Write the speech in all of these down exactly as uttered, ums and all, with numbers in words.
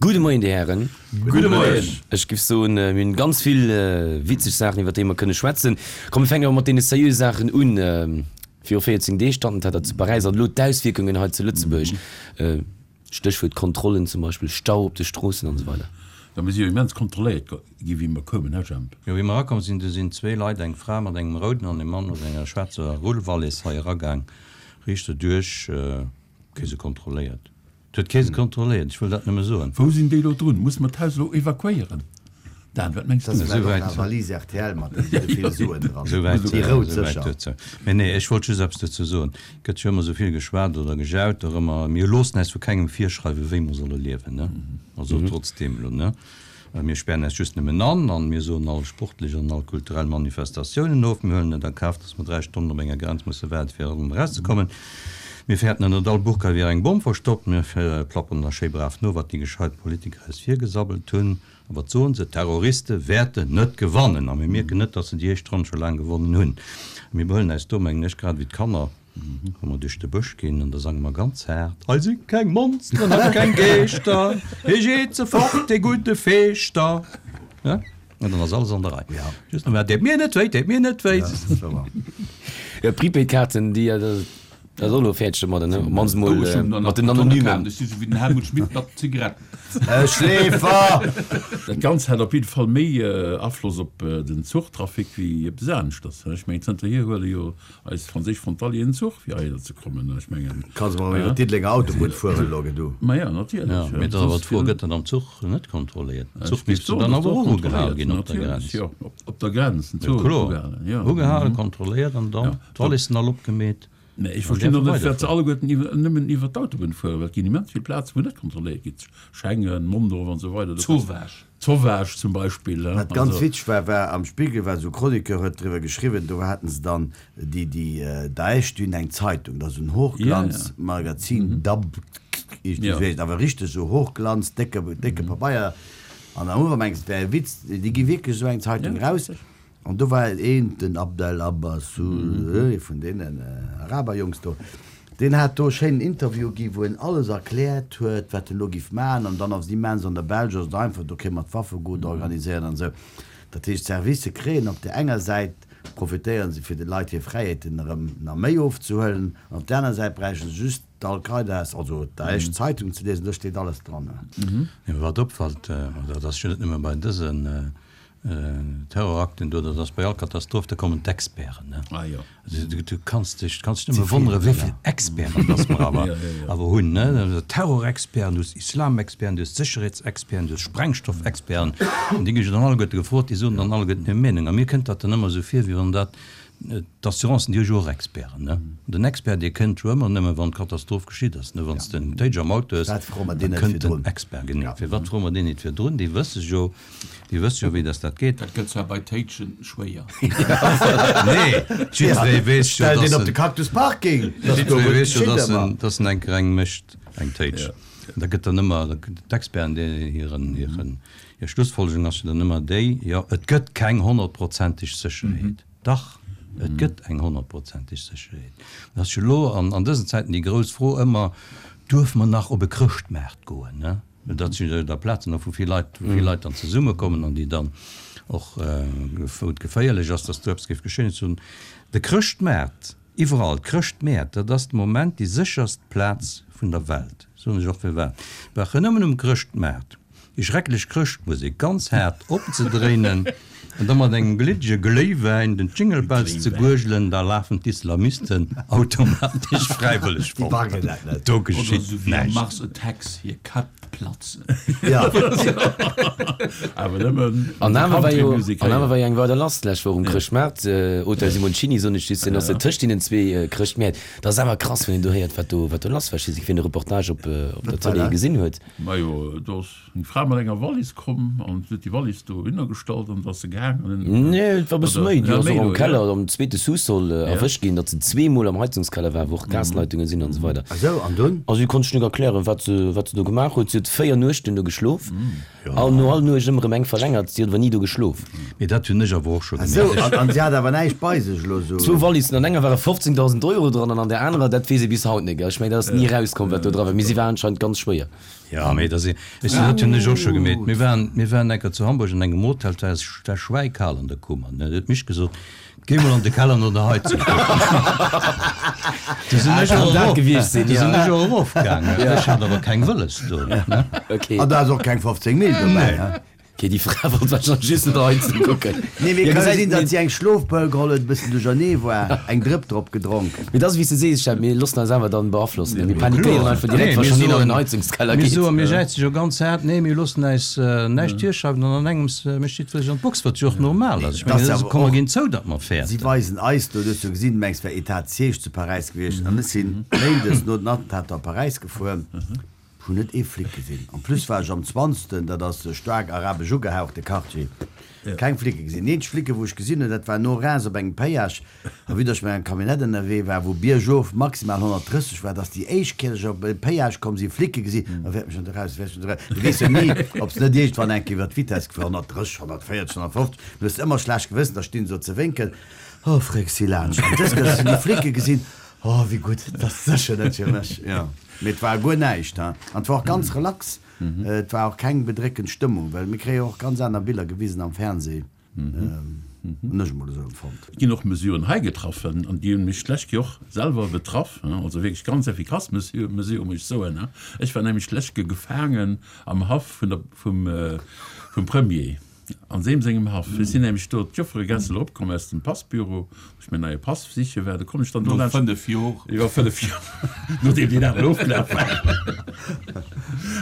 Gudde Moien, Dir Hären. Gudde Moien. Ech giff soen, mir hunn ganz vill witzeg Saachen, iwwer déi mer kënne schwätzen. Komm, mir fänken awer mat deene seriöse Saachen un. Viru véierzéng Deeg d'Attentater zu Paräis an elo d'Auswierkungen hei zu Lëtzebuerg. Stéchwuert Kontrollen zum Beispill, Stau op de Stroossen an esou weider. Jo, mir si jo immens kontrolléiert gi wéi mer koumen, hä Jemp? Jo, wéi mer erakomm sinn, du sinn zwee Leit, eng Fra mat engem rouden an e Mann mat enger schwaarzer Rullwallis hei eragaang, riicht erduerch, kee se kontrolléiert. Et huet kee se kontrolléiert, ech wëll dat nëmme soen. Wou sinn déi elo drun? Musse mer d'Haus elo evakuéieren? Dan, wat mengs du? Dat ass vläicht och eng Valise R T L mat esou vill Suen dran. Déi rout sécher. Mee nee, ech wollt just eppes dozou soen. Et gëtt jo ëmmer esou vill geschwat oder gejaut dorëmmer, mir loossen äis vu kengem virschreiwen, wéi mer solle liewen, ne? Also trotzdeem elo, ne? Mir spären äis just nëmmen an an mir soen all sportlech an all kulturell Manifestatiounen of. Mir huelen et a Kaf, dass mer dräi Stonnen op enger Grenz musse waarden, fir erëm erauszekommen. Mir fäerten, ënnert all Burka wier eng Bomm verstoppt. Mir plapperen da schéi brav no, wat déi gescheit Politiker eis virgesabbelt hunn. A wat soen se? D'Terroriste wäerten net gewannen. A mir mierken net, datt se déi éischt Ronn scho laang gewonnen hunn. A mir behuelen äis do, mengen ech, grad ewéi d'Kanner, wa mer duerch de Bësch ginn, an da sange mer ganz haart, Hei si keng Monsteren a keng Geeschter, hie jeet se fort, dee gudde Feeschter. Ja, an dann ass alles an der Rei. Just nach, Deet mir net wéi, deet mir net wéi. Jo, d'Prepaid-Kaarten, déi, Dat ass och elo fäerdeg domadder, ne? Op d'mannst mol mat den Anonymen. Ech si sou wéi den Helmut Schmidt mat Zigaretten. E Schleefer! Dat Ganzt hat op jidde Fall méi Afloss op den Zuchtrafic wéi eppes aneschters. Ech mengen, zënterhier huele jo eis franséisch Frontalieren den Zuch, fir heihinner ze kommen. Ech mengen. Kanns emol iwwer d'Diddelenger Autobunn fueren elo, du. Ma jo, natierlech. Jo, mee dat ass awer d'Fro, gëtt dat am Zuch net kontrolléiert? Den Zuch misst jo dann awer och ugehal ginn op der Grenz. Jo, op der Grenz, den Zuch gëtt ugehalen, jo. Ugehalen, kontrolléiert an dann d'Wallissen all opgemeet. Mä ech verstinn och net, firwat se alleguerten iwwer, nëmmen iwwer d'Autobunn fueren, well et ginn immens vill Plazen, wou net kontrolléiert ginn, Schengen, Mondorf an esou weider. Zowaasch. Zowaasch zum Beispill. Wat ganz witzeg war, war am Spiegel war esou e Chroniqueur huet driwwer geschriwwen, do haten se dann déi, déi Daesh, déi hunn eng Zeitung, dat ass en Hochglanzmagazin, Dabq, iergendwéi esou heescht, awer richteg esou Hochglanz, décke, décke Pabeier. An am Ufank mengs de, et wär e Witz, déi gi wierklech esou eng Zeitung eraus. An do war een, den Abdel Abbassoul, ee vun deenen Araberjongs do, deen hat do e schéinen Interview gi wou en alles erkläert huet, wat en elo giff maachen. An dann ass et immens, an der Belsch ass et einfach, do kéint mer d'Waffegut organiséieren an esou. Dat heescht, d'Servicë kréien op där enger Säit, profitéiere se fir de Leit hir Fräiheeten erëm nach méi ofzehuelen, an op där aner Säit bräiche se just d'Al-Qaidas, also d'Daesh Zeitung ze liesen, do steet alles dran. Mee wat opfällt, an dat ass jo net nëmme bei dësen Terrorakten do, dat ass bei all Katastroph, da kommen d'Experten, ne? Ah jo. Du kanns dech, kanns dech nëmme wonneren, wéi vill Experten dass mer awer, awer hunn, ne? Terrorexperten, du hues Islamexperten, du hues Sécherheetsexperten, du hues Sprengstoffexperten, an déi gi jo dann alleguerte gefrot, déi soen dann alleguerten hir Meenung. A mir kënnt dat dann ëmmer esou vir, wéi wann dat, d'Assurancen, déi hu jo och Experten, ne? Den Expert, dee kënnt jo ëmmer nëmme wann d'Katastroph geschitt ass, ne? Wann s de en Téitsch am Auto hues, Wat froe mer da deen net kënnt den virdrun? Expert, genee. Firwat froe mer deen nit virdrun? Déi wësse jo, Déi wësse jo, wéi dass dat geet. Dat gëtt zwar bei Téitschen schwéier. Nee, jiddweree weess jo, Stell deen dass op de en, Cactus Parking, dass do jiddweree weess jo, geschitt dass en, ëmmer. dass en eng Reng mécht, eng Téitsch. Da gëtt dann ëmmer, d'Experten, déi hiren, hiren, hir Schlussfolgerung ass jo dann ëmmer déi, jo, et gëtt keng honnertprozenteg Sécherheet. Dach, et gëtt eng honnertprozenteg Sécherheet. Dat ass jo elo an, an dësen Zäiten déi grouss Fro ëmmer, Duerf mer nach op e Chrëschtmaart goen, ne? Dat sinn jo da Plazen, wou vill Leit, wou vill Leit dann zesummekommen an déi dann och, wou et geféierlech ass, dass do eppes géif geschéien. Ech soen, de Chrëschtmaart, iwwerall, d'Chrëschtmäert, dat ass de Moment déi sécherst Plaz vun der Welt. Soen ech och firwat. Brauch en nëmmen um Chrëschtmaart déi schrecklech Chrëschtmusek ganz haart opzedréinen an da mat engem gliddege Gléiwäin den Jingle Bells ze guergelen, da lafen d'Islamisten automatesch fräiwëlleg fort. Do Oder geschitt esou wéi am näischt. Mars Attacks hir Käpp platzen. Awer nëmmen An awer war jo, Country-Musek an awer héieren. war jo eng weider lass d'lescht Woch um Chrëschtmaart, Hotel Simoncini, soen ech just, deen ass jo tëscht deenen zwee Chrëschtmäert. Dat ass awer krass, wann een do héiert, wat do, wat do lass war. Ech weess net, wien de Reportage op, op der Wat war Tëlee dat? gesinn huet. Majo, do ass eng Fra mat enger Wallis komm an huet déi Wallis dohinner gestallt an da ass se gaangen. Nee, et war e bësse Oder, méi. Déi ja, ass méi och am do, ja. Keller, am zweete Sous-sol Ja. erwëscht ginn, datt se zweemol am Heizungskeller war, wou och Gasleitungen sinn an esou weider. Ah sou, an dunn? A si konnt sech net erklären, wat se, wat se do gemaach huet. Si huet véier Nuechten do geschlof, an no all Nuecht ëmmer erëm eng verlängert. Si huet awer ni do geschlof. Mee dat hunn ech awer och scho Ah sou, gemerkt. an, an si hat awer näischt bei sech elo sou? Zwou Wallissen, an enger ware fofzéngdausend Euro dran an an där anerer, dat weess ee bis haut net. Ech mengen, dat ass ni erauskomm, wat do dra war, mee si war anscheinend ganz schwéier. Ja, mee dat si, ech sinn, dat hunn ech och scho gemeet. Mir waren, mir waren eng Kéier zu Hamburg an engem Hotel, et war, et war schwäikal an der Kummer, ne. Huet d'Mich gesot, Géi mol an de Keller no der Heizung kucken. Du sinn ech och erof, du sinn ech och erofgaangen. Ech hat awer keng Wëlles do, ne. An da ass och keng fofzéng Mil dobäi, he? Okay, déi Fra wollt wahrscheinlech just no der Heizung kucken. Nee, mee ka sinn, datt si eng Schlofpëll geholl huet, e bëssen duerchernee war, eng Drëpp drop gedronk. Mee et ass wéi s de sees, Chef, mir loossen eis awer dann beaflossen. Mir panikéieren einfach direkt, wa schonn een an den Heizungskeller Mir geet. soen, mir jäize jo ganz haart, nee, mir loossen äis näischt virschreiwen an an engems mécht jiddweree an d'Box, wat jo och normal ass. Ech mengen, dat ass, komm mer ginn zou, datt mer Si fäerten. weisen eis do, du hues jo gesinn, du mengs, et wär Etat de siège zu Paräis gewiescht an ech sinn méindes no den Attentater op Paräis gefuer. Ech hunn net ee Flic gesinn. En plus war ech am Zwanzten, dat ass e staark arabesch ugehauchte Quartier. Keng Flicke gesinn. Déi eenzeg Flicke wou ech gesinn hunn, dat war no Reims op engem Péage, a vue datt ech mat engem Camionnette ënnerwee war, wou biergof maximal honnertdrësseg war, dat ass déi éischt Kéier, datt ech op e Péage komm sinn, Flicke gesinn, a wäert mech an de raus, wäert mech an de raus. Du weess jo ni, ob se net iergendwann eng Kéier iwwer d'Vitesse gefuer, honnertdrësseg, honnertvéierzeg, honnertfofzeg, du hues ëmmer schlecht Gewëssen, da stinn se do ze wénken, oh Fréck, si laanscht. An dës Kéier, datt ech déi Flicke gesinn, Oh, wéi gutt, dat ass sécher net fir mech. Jo, mee et war guer näischt, hein. An et war och ganz relax, et war och keng bedréckend Stëmmung, well mir kréie jo och ganz aner Biller gewisen am Fernseh, hunn ech emol esou empfonnt. Et ginn och Mesuren hei getraffen, an déi hunn mech d'lescht Kéier och selwer betraff, also wierklech ganz effikass Mesure, muss ech soen. Ech war nämlech d'lescht Kéier gefaangen am Haff vun der, vum, vum Premier. An deem sengem Haff. Ech sinn nämlech do d'Jofferegässel eropkomm aus dem Passbüro, wou ech mäin neie Pass siche war. Do komm ech dann do No laanscht. fënnef Jor. Jo, fënnef Jor, nodeem deen aneren ofgelaf war.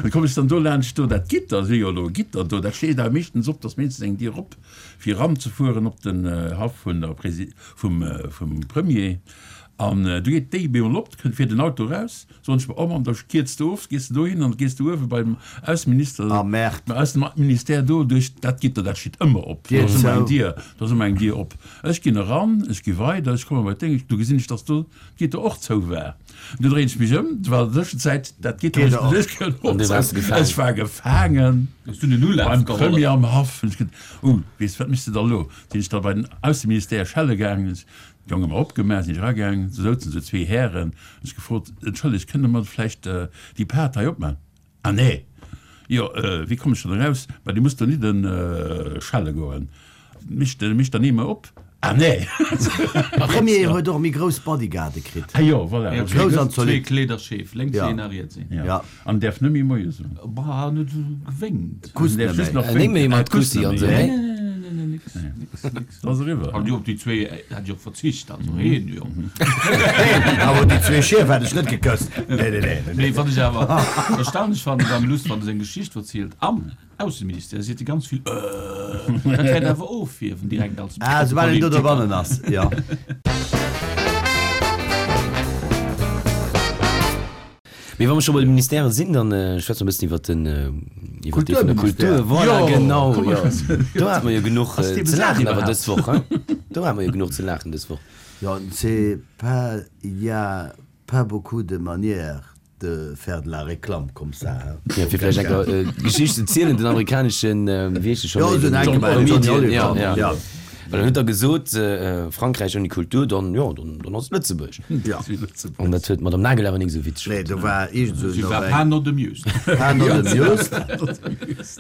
Da komm ech dann do laanscht do dat Gitter, si jo elo e Gitter do, dat steet awer meeschtens op, dass meeschtens eng Dier op, fir eranzefueren op den Haff vun der Presi-, vum, vum Premier. An du geet déi bemol op, kënnt, fiert en Auto eraus, soen ech mer, oh Mann, da kierz de of, gees de dohin an gees de uewe beim Ausseminister, Ah merde. beim Ausseministère do duerch dat Gitter, dat steet ëmmer op, do Dier ass ëmmer eng zou. Dier, do ass ëmmer eng Dier op. Ech ginn eran, ech gi weider, ech komme bei d'Déng, du gesinn ech, dass do d'Gitter och zou war. Du dréin ech mech ëm, du war an der Tëschenzäit dat Gitter, Gitter wou op. ech duerch An du kënn, waars gefaangen. Ech war gefaangen Hues du den Ulaf beim geholl? Premier am Haff. Hunn ech geduet, uh, weess, wat méchs de da elo? Sinn ech da bei den Ausseministère schelle gaangen, D'Jonge mer opgemaach, sinn ech eragaangen, do souzen esou zwee Hären, hunn ech gefrot, Entschëllegt, kënne mer vläicht déi Paart hei opmaachen? Ah nee! Jo, wéi kommen ech dann eraus? Ma Dir musst donidden schelle goen. Mécht mécht dann eemol op? Ah nee! De Premier huet och méi grouss Bodyguarde kritt. Ah jo, voilà. Jo, Grouss an zwee zolidd. Kleederscheef, lénks Ja. een a riets een. Ja. Ja. An däerf net méi Moie soen. Bah, en huet esou gewénkt. Kusst Däerf net just méi. nach Néng méi wénken. mat Ah, kusst Kussi net an méi. esou, Nee, nee? nee, nee, nee, nix, nix, nix. Dat ass eriwwer. An jo, op déi zwee hätt ech och verzicht, also heen, jo. Awer déi zwee Schief hätt ech net gekësst. Nee, nee, nee, nee. Mee wat ech awer erstaunlech fannen, ass am Lust, wann e seng Geschicht verzielt am Ausseministère, seet e ganz vill äh. Dat wäert awer ofhiewen direkt als Ah, soubal een do Politiker. dobannen ass, jo. Mee wa mer scho bei de Ministèren sinn, dann schwätze mer e bëssen iwwer den, iwwer dee vun der Kulturministère. Kultur. Voilà, Jo, genau, komm mer jo. schwätzen. Do hate mer jo genuch Ass dee ze besat laachen awer iwwerhaapt? dës Woch, hein? Do hate mer jo genuch ze laachen dës Woch. Jo, c'est pas, il y a pas beaucoup de manières de faire de la réclame comme ça, hein. Jo, fir vläicht eng Kéier d'Geschicht ze zielen, den amerikaneschen, wéi heescht e scho Jo, méi, esou den en enke Comedian, Johnny Oliver, ja, ja. ja. Well en huet da gesot, Frankräich ouni Kultur, dann, jo, dann, dann ass et Lëtzebuerg. Ja. An dat huet d'Madame Nagel awer nik esou witzeg Nee, fonnt. do war iergend esou Si war eng. pas not amused. Pas not amused.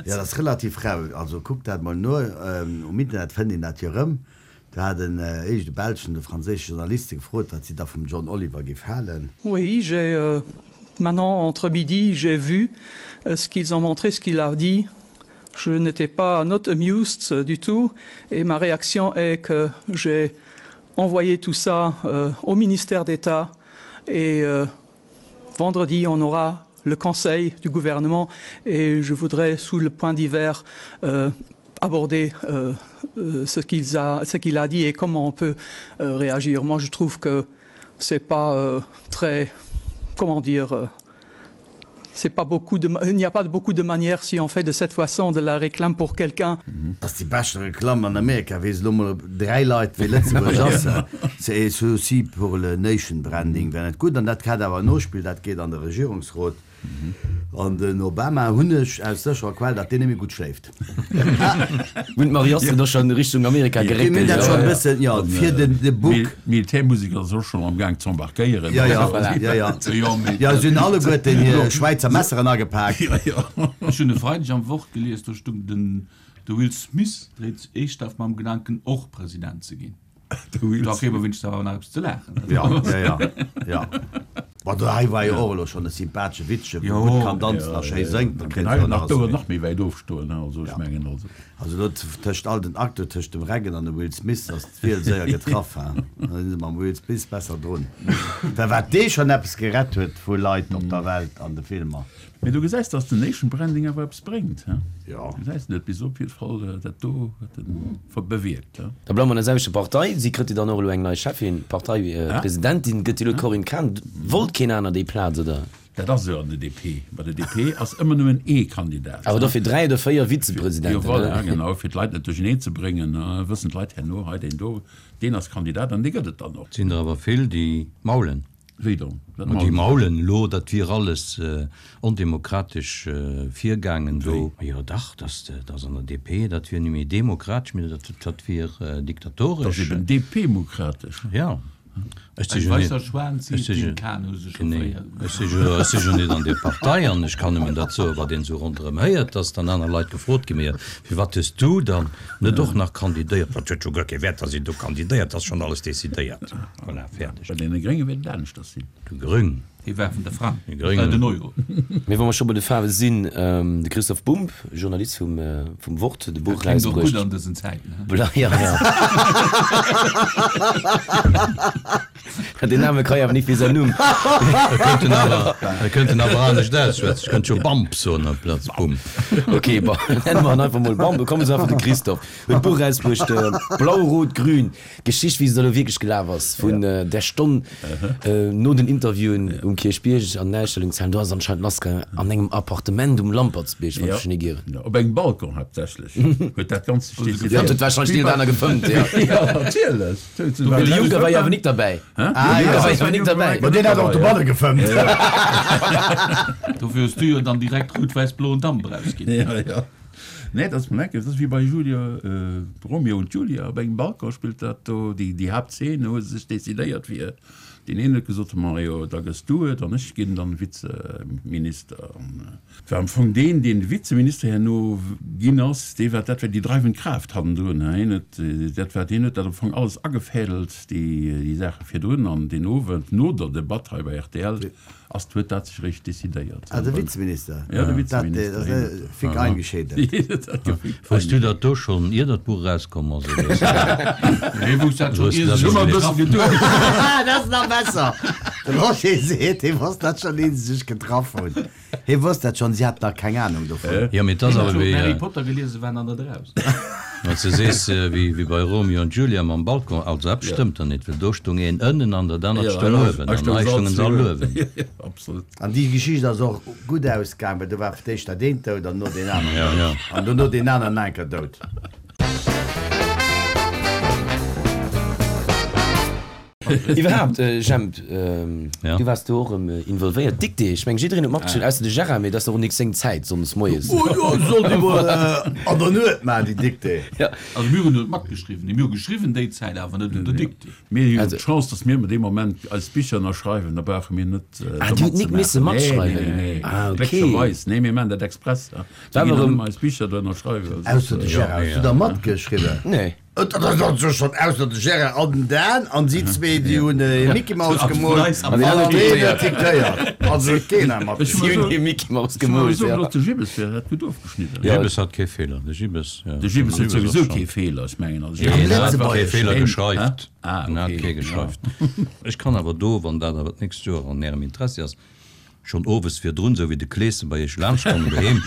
Ja, dat ass relativ rau. Also kuckt dat mol no, um Internet fënnt een dat jo erëm. Do hat en iergend e belschen oder franséische Journaliste gefrot, wat si da vum John Oliver géif halen. Oui, j'ai maintenant entre midi, j'ai vu ce qu'ils ont montré, ce qu'il a dit. Je n'étais pas not amused du tout et ma réaction est que j'ai envoyé tout ça euh, au ministère d'État et euh, vendredi on aura le conseil du gouvernement et je voudrais sous le point d'hiver euh, aborder euh, euh, ce qu'il a, ce qu'il a dit et comment on peut euh, réagir. Moi je trouve que c'est pas euh, très comment dire euh, c'est pas beaucoup de, il n'y a pas de beaucoup de manières si on fait de cette façon de la réclame pour quelqu'un. Ass déi beschte Reklamm an Amerika, weess elo mol dräi Leit wéi Lëtzebuerg ass. C'est aussi pour le nation branding wär net gutt. An dat hat awer en Nospill, dat geet an de Regierungsrot. An den Obama hunn ech aus sécherer Quell, datt deen net méi gutt schléift. Hunn d'Mariassen do schonn Richtung Amerika Déi hunn geréckelt? dat schonn e bëssen, jo, fir den de Buk. D'Militärmusek ass och schonn am Gaang z'embarquéieren. Jo, jo, jo, jo. Jo, si hunn alleguerten hir Schwäizer Messeren agepak. Ech hunn e Freideg am Wort gelies, do stung, den de Will Smith dréit eeschthaft mam Gedanken och President ze ginn. Da kritt mer wéinstens awer nach eppes ze laachen. Ja, ja, ja, ja. Bon, do hei war jo och elo schonn e sympathesche Witzche, wou gutt kann danzen a schéi séngt, da kritt se jo nach nach d'Ouer nach méi wäit ofstoen, also ech mengen also. Also do tëscht all den Acteur, tëscht dem Reagan an dem Will Smith ass d'Wiel séier getraff, ha. Da si se mam Will Smith besser drun. Well wat dee schonn eppes gerett huet vu Leit op der Welt an de Filmer. Mee du gesäis, dass den Nation Branding awer eppes bréngt, he? Jo. Du gesäis, en huet bis op jidde Fall dat do huet e bewierkt, he? Da bleiwe mer an der selwechter Partei. Si kritt jo dann och elo eng nei Cheffin, Parteipresidentin gëtt jo elo d'Corinne Cahen. Wollt keen aner déi Plaz, oder? Dat ass esou an der D P. Bei der D P ass ëmmer nëmmen ee Kandidat. Awer dofir dräi oder véier Jo, Vizepresidenten, voilà, ne? genau, fir d'Leit net duercheneen ze bréngen, wëssen d'Leit herno, hei deen do, deen ass Kandidat an dee gëtt et dann och. Et sinn der awer vill, déi maulen. Wéi dann? Wat Ma déi maulen se? maulen elo, dat wier alles ondemokratesch virgaangen do. Wéi? Jo dach, dass dass an der D P, dat wier net méi demokratesch, mee dat dat wier Dat ass diktatoresch. eben D P-mokratesch. Ja, ech si Ein jo net, weisser Schwan ech zieht si den jo, Kahn, hu se scho genee, fréier ech si jo, ech si jo net an där Partei an ech kann nëmmen dat soen, wat een esou ronderëm héiert, dass dann aner Leit gefrot ginn, Mee firwat hues du dann net och nach kandidéiert? Dat huet jo guer kee Wäert, dass een do kandidéiert, ass schonn alles decidéiert. Voilà, fäerdeg. Bei deene Grénge wäert et aneschters sinn. De Grüng. Hie war vun der Frang, De dat war Gréngen. den Euro. Mee wa mer scho bei de Faarwe sinn, de Christoph Bumb, Journalist vum vum Wort, huet e Buch Dat kléngt och gutt erausbruecht. an dësen Zäiten, he? Bla, ja, ja. Deen Name ka jo awer nik wéi säin Numm. E kënnt en awer, e kënnt en awer anescht ausschwätzen. Ech kënnt jo Bamp soen amplaz Bump. Ok, bon, nenne mer en einfach mol Bamp. Kommen se einfach de Christoph. Huet d'Buch erausbruecht, Blau, Rot, Grün, d'Geschicht, wéi se da lo wierklech gelaf ass, vun där Stonn no den Interviewen um Kierchbierg an den Ausstellungshalen. Do ass et anscheinend lassgaangen an engem Appartement um Lampertsbierg, wann ech mech net ieren. Jo, op engem Balcon haaptsächlech huet dat Ganzt sech Jo, decidéiert. huet warscheinlech deen oder aner gefëmmt, jo. Jo, natierlech. De Juncker war jo awer nik derbäi. Ah, De Juncker jo. war jo awer nik derbäi. Ma deen hat och dobanne gefëmmt. Dofir hues du jo dann direkt rout-wäiss-bloen Damp erausginn. Jo, jo. Nee, dat ass lecker. Dat ass wéi bei Julia, Romeo und Julia, op engem Balcon spillt dat do, déi, déi Haaptzeen, hu se sech decidéiert fir, deen een huet gesot, Mario, da gëss du et an ech ginn dann Vizeminister. An et war am Fong deen, deen de Vizeminister herno ginn ass, dee war, dat war déi dreiwend Kraaft hannendrun. Hien huet, dat war, deen huet dat am Fong alles agefädelt, déi, déi Saache virdrun. An deen Owend no der Debatt hei bei R T L ass, huet dat sech eréischt decidéiert. Ah, de Vizeminister? Ja, de Dat, Vizeminister. dat ass fick eingeschädelt. Dat gefick Wousst du dat do schonn, ier dat Buch erauskomm ass, oder hues du dat, Hie wousst dat schonn, hues du ier dat se elo sech net? getraff hunn. Ah, dat ass nach besser! De Roger seet, hie wosst dat schonn, ier se sech getraff hunn. Hie wosst dat schonn, si haten nach keng Anung dovun. Jo, mee et ass Hien awer huet schonn wéi, Harry Potter geliesen, waren an der draus. wann s de sees, wéi, wéi bei Romeo und Julia mam Balcon, also eppes stëmmt do net, well do stung een ënnen an dat anert Ja, stung uewen, hei an stounge hei se all stungen se all zwee uewen. uewen. Absolut. An déi Geschicht ass och gutt ausgaang, well do war fir d'éischt dat eent dout an no deen aneren Ja, dout. ja. An dono deen aneren enker dout. Iwwerhaapt, Jemp, Ja. du waars do och erëm involvéiert. Dictée, ech mengen, jiddereen huet matgeschriwwen, ausser de Gérard, mee dat ass och nik seng Zäit, sonndes moies. Oh jo, sollt ee mol an der Nuet maachen, déi Dictée. Ja. Also mir hunn net matgeschriwwen, nee, mir hu geschriwwen déi Zäit, awer net un der Dictée. Mir hunn Also. d'Chance, dass mir dee Moment eis Bicher ënnerschreiwen, da brauche mir net Ah, do Dir hutt nik misse matzemaachen. Nee, matschreiwen? nee, nee, Ah, okay. glécklecherweis. Nee, mir maachen dat express. Mir War ginn awer dann erëm. ëmmer eis Bicher do ënnerschreiwen. Ausser de Gérard, hues du da matgeschriwwen? Nee. Et ass also schonn ausser de Gérard an den Dan an si zwee, déi hunn e Mickey Mouse gemoolt An an deen aneren deen diktéiert. huet diktéiert. Also huet keen hei Ech Si hunn matgeschriwwen. hir Mickey Mouse Ech muss gemoolt, soen, ja. datt de Gibbes wär dat gutt ofgeschnidden. De Ja. Gibbes hat kee Feeler. De Gibbes, ja. De Gibbes De huet Gibbes ass souwisou schon. kee Feeler, ech mengen. Also, Nee, Am en hat kee Lëtzebuergeschen. Feeler Hä? geschreift. Ah, En hat okay. kee Ja. geschreift. Ech kann awer do, wann dat awer d'nächst Joer an Ärem Interessi ass, schonn owes virdrun, sou wéi de Kleeschen bei iech laanschtkommen doheem,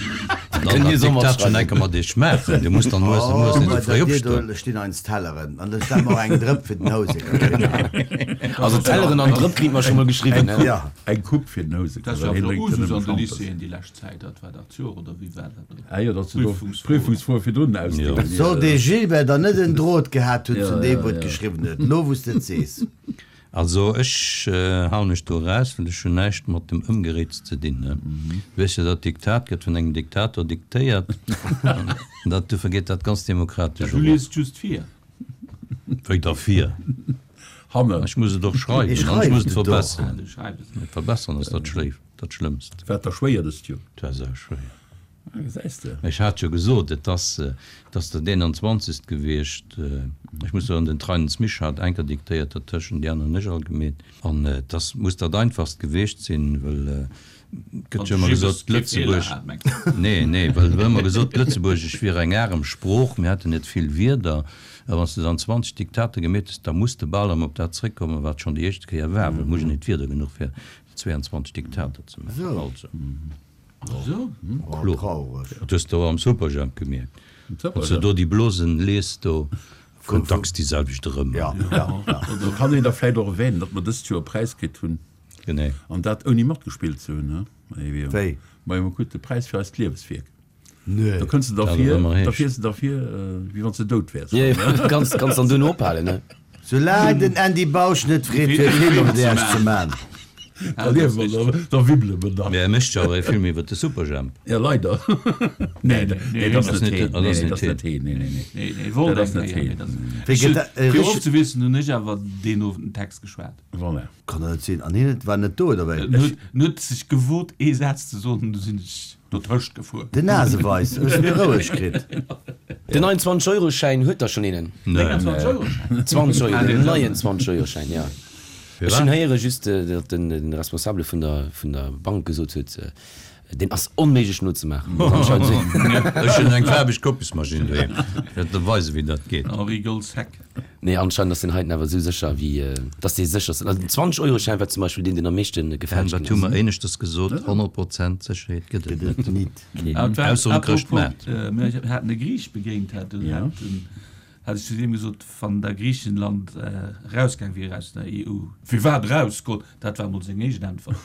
an dann Kënnt Dir dat se Diktat schonn matschreiwen. enke mat iech maachen. Dir musst dann muers Oh, muers net bei sou der fréi Dir opstoen. do stinn eins Telleren an ech stelle mer och eng Drëpp fir den Houseker hin. Also Telleren an Drëpp kritt mer scho mol geschriwwen, ne? Ja. Eng Coupe fir den Houseker, Dat ass well jo hien awer drénkt jo Usus nëmme an de Schampes. Lycéeën déi lescht Zäit, dat war dat Joer oder wéi war dat do? Ah jo, datt se do Prüfungsfroen. Prüfungsfroe virdrun ausdeelen. Soll dee Gilbert dann net en Drot gehat hunn Ja, zu deem, ja, wou et ja. geschriwwen huet? Lo wou s de et sees. Also ech hauen mech do eraus, well ech hunn näischt mat dem Ëmgeréits ze dinn. Du weess jo, dat Diktat gëtt vun engem Diktator diktéiert an dat dofir geet dat ganz demokratesch Du erop. liest just vir. Wéi da vir? Hannen. Ech muss et och schreiwen Ech an ech muss et schreiwen et och. verbesseren. Du schreibes et. Et verbesseren ass dat Schléif, dat Schlëmmst. Wat da schwéier dëst Joer? Dat war sauschwéier. Ah, gesäis de. Ech hat jo gesot, et ass, et ass dat eenanzwanzegst gewiescht. Ech muss soen, den Treinens Misch hat enker diktéiert dertëschent, déi aner hunn ech all gemeet. An et ass, muss dat einfachst gewiescht sinn, well et gëtt jo ëmmer gesot, Lëtzebuerg, nee, nee, well et gëtt ëmmer gesot, Lëtzebuergesch wier eng arem Sprooch, mir hätten net vill Wierder. A wann s de dann zwanzeg Diktater gemeet hues, da muss de bal erëm op dat zréckkommen, wat schonn déi éischt Kéier war, well et muss een net Wierder genuch fir zweiundzwanzeg Diktater ze maachen. Also. Oh, traureg. Dat hues de och am Superjhemp gemierkt. Wann s de do déi Blosen liest, do kënnt dacks déi selwecht erëm. Ja, ja, ja. Do kann een da vläicht och erwänen, datt mer dëst Joer e Präis kritt hunn. Genee. An dat ouni matgespillt ze hunn, he? Wéi? Majo, mer kruten de Präis fir eist Lieweswierk. Nee. Da kënns de Dat derfir, ëmmer da heescht. fiers de derfir, wéi wann s de dout wäers. Jo, jo, kanns, kanns dann duerno ophalen, ne? Soulaang den Andy Bausch net freet fir e Film iwwer Iech ze man. Da liewe mer, da, da wibbele mer nach. Mee e mécht jo awer e Film iwwer de Superjhemp. Ja, leider. Nee, nee, dat ass net heen. Dat ass Nee, dat ass net net heen. Nee, nee, nee. Nee, nee, wollt Dat ass eng net Kéier, heen. mee dat ass- Wéi gëtt dat e Fir richteg. ofzewiesselen hunn ech awer deen Owend den Text geschwat. Voilà. Kann dat net sinn. An hien war net do, oder wéi? En huet, en huet sech gewot ee Saz ze soen, du sinn ech dotëscht gefuer. Den Naseweis, hues du roueg kritt? Den neien zwanzeg-Euro-Schäin, huet der schonn eenen? Nee. zwanzeg-Euro-Schäin? zwanzeg Euro, den neien zwanzeg-Euro-Schäin, ja. Ech hunn héiere just, datt den, den Responsabele vun der, vun der Bank gesot huet, deen ass onméiglech nozemaachen. Ech hunn eng faarweg Kopiesmaschinn doheem. Ech wäert der weisen, wéi dat geet. Henri Gold's-Heck. Nee, anscheinend ass deen heiten awer esou sécher wéi, datt dee séchersten. Also den zwanzeg-Euro-Schäin war zum Beispill deen, deen am meeschte gefälscht Wat ginn hu ass. mer éineschters gesot? Honnert Prozent Sécherheet gëtt et Gëtt net. et nit. Ah, et war- Ausser um apropos, Chrëschtmaart. äh, mir haten e Griich begéint, hat, und Ja. hat den, hat ech zu deem gesot, wann der Griichenland äh, rausgaang wier aus der E U. Firwat rausgoen? Dat war mol seng éischt Äntwert.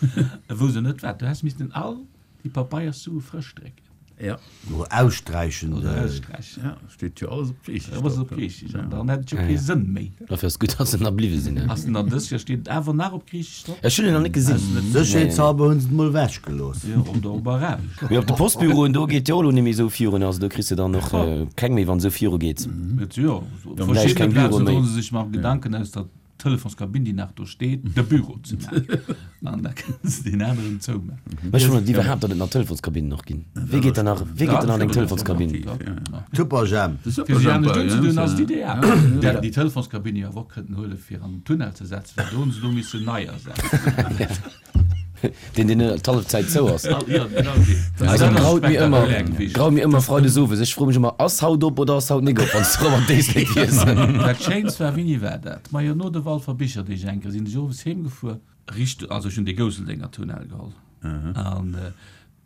E wousst net wat. Du häss missten all déi Papeierssue frësch drécken. Ja. Oder aussträichen. Oder äh, aussträichen. Ja, steet jo alles op Griichesch. Ja, was op Griichesch. An dann hätt et jo kee Sënn méi. Dofir ass gutt, dass se nach bliwwe sinn. Ass denn dann dës Joer steet et awer nach op Griichesch drop? Ech hunn en nach net gesinn. Sécherheetshalber hunn se et mol wechgelooss. Jo, oder op Arabesch. Mee op de Postbüroen, do geet jo elo net méi esou virun. Also do kriss de dann och keng méi, wann esou viru geet. Et jo, op Vläicht verschiddene keng Büro Plazen méi. droen se sech mam Gedanken aus der Telefonskabinn, déi nach do steet, de Büro ze maachen. An da kënnen se deen aneren zoumaachen. Mä ech wonnert iwwerhaapt, datt et nach Telefonskabinnen och ginn. Wee geet dann nach, wee geet dann an eng Telefonskabinn? Tupperjam. Fir sech anescht unzedoen ass et ideal. Déi hätten déi Telefonskabinn jo awer och kënnen huelen, fir an den Tunnel ze setzen, well do hunn se do missen nei ersetzen. Deen, deen d'hallef Zäit zou ass. Jo, genau deen. Also Dat ass graut mir ëmmer, spektakulär gewiescht. graut mir ëmmer freides owes. Ech froe mech ëmmer, ass haut op oder ass haut nik op, wann s du erëm an d'Éislek fiers. Dat Schéinst war, wéini war dat? Majo, no de Walfer Bicherdeeg eng Kéier sinn ech owes heemgefuer, richt, also ech hunn dee Gousseldenger Tunnel geholl. An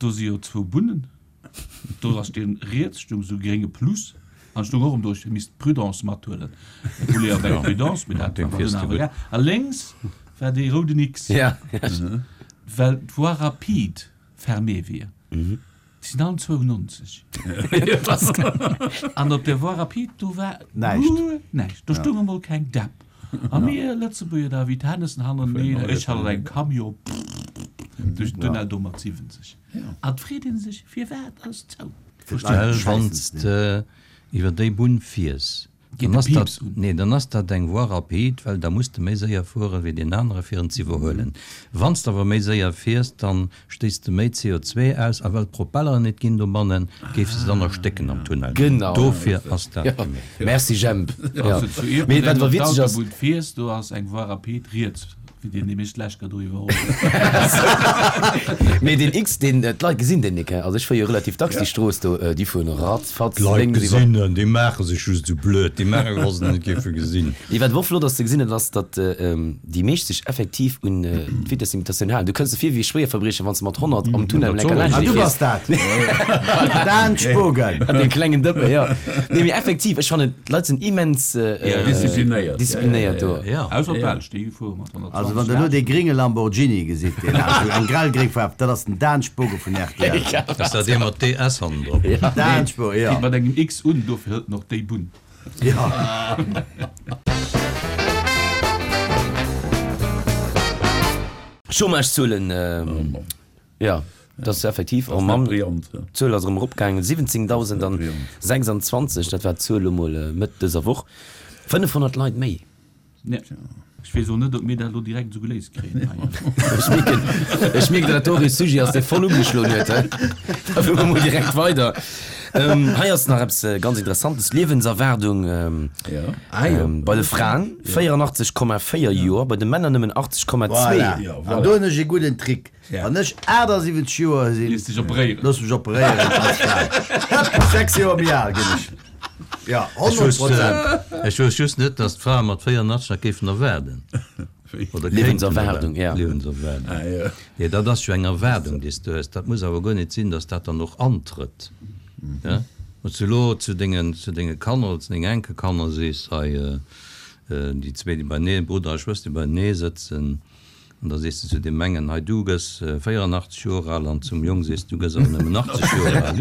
do si jo zwou Bunnen. Do ass deen riets stung esou grénge Plus an stung och erëm do, ech misst Prudence mathuelen. Et huele jo awer eng Prudence, mee dat Deen war fiers dunn de awer gutt. egal. A lénks war dee rouden X. Ja. Well d'Voie rapide fermée wier. Déi sinn allen zwouennonzeg. An op der Voie rapide, do war Näischt. guer näischt. Do stoung emol keng Depp. A mir Lëtzebuerger da wéi d'Hennessen hannerteneen, ech hat eng Camion duerch den Tunnel do mat siwwenzeg. An et freet ee sech, firwat ass zou? Well wann s de iwwer déi Bunn fiers, Geet dann de ass dat, Piips un. nee, dann ass dat eng Voie rapide, well da muss de méi séier fuere wéi deen anere fir en z'iwwerhuelen. Wann s de awer méi séier fiers, dann stéiss de méi C O zwee aus a well d'Propelleren net ginn dobannen, géif se dann erstécken am Tunnel. Genau. Dofir ass dat Ja. gemaach. Merci Jemp. Ja. Also zu Mee Ierpeldeng wat op awer witzeg ass, d'Autobunn fiers, do ass eng Voie rapide riets, wéi deen nämlech d'lescht Kéier do iwwerholl huet. Mee deen X, deen, d'Leit gesinn deen nik, he. Also ech fuer jo relativ dacks déi Strooss do, déi fueren ratzfatz D'Leit lénks iwwer. gesinn en, déi maache sech just esou blöd, déi maache wa se en net géife gesinn. Nee, wat awer och flott ass ze gesinn, dat ass, datt déi meescht sech effektiv un d'Vitesslimitatioun halen. Du kënns der vir wéi e Schwéierverbriecher, wann s de mat honnert am Tunnel Dat enker soll laanscht Ah, du fiers. bass dat! Dan Spogen! An deem klengen Dëppe, jo. Nee, mee effektiv, ech fannen, d'Leit sinn immens Disziplinéiert. disziplinéiert do. Ja. Ausser d'Belsch, déi fuere mat honnertzwanzeg. Also wann der elo dee gringe Lamborghini gesitt, deen ass eng grellgréng Faarf, dat ass den Dan Spogen vun R T L. Ass dat dee mat D S hannendrop? Dan Spogen, ja. Geet mat engem X un, dofir hëlt en och déi Bunn. Ja. Chômagezuelen, jo, dat ass effektiv, oh Mann, d'Zuel ass erëm eropgaangen, siwwenzéngdausendasechsanzwanzeg, dat war d'Zuel elo mol Mëtt dëser Woch, fënnefhonnert Leit méi. Ech weess och net, ob mir dat elo direkt esou geléist kréien hei. Ech mierken, ech mierken, datt dat och ee Sujet ass, dee voll ugeschloen huet. Da fuere mer mol direkt weider. Hei ass nach eppes ganz Interessantes, Liewenserwaardung bei de Fraen véierandachtzeg Komma véier Joer, bei de Männer nëmmen achtzeg Komma zwee. Voilà, an do hunn ech ee gudden Trick, Wann ech aachtassiwwenzeg Joer sinn, Looss dech operéieren. Looss mech operéieren als Fra. Hëpp, sechs Joer méi al ginn ech. Ja, honnert Prozent. Ech wousst just net, dass d'Frae mat véierundachtzeg nach géifen erwaarden. Oder kéinten Liewenserwaardung, ja. Liewenserwaardung. Nee, dat ass jo eng Erwaardung, déi s du hues. Dat muss awer guer net sinn, dass dat dann och antrëtt. Ja? Wann s du elo zu dengen, zu denge Kanner oder zu dengen Enkelkanner sees, hei, déi zwee, déi beienee, Brudder a Schwëster, déi beienee sëtzen, An da sees de zu deem engen, hei du gëss véierandachtzeg Joer al, an zum Jong sees du gëss awer nëmmen achtzeg Joer al.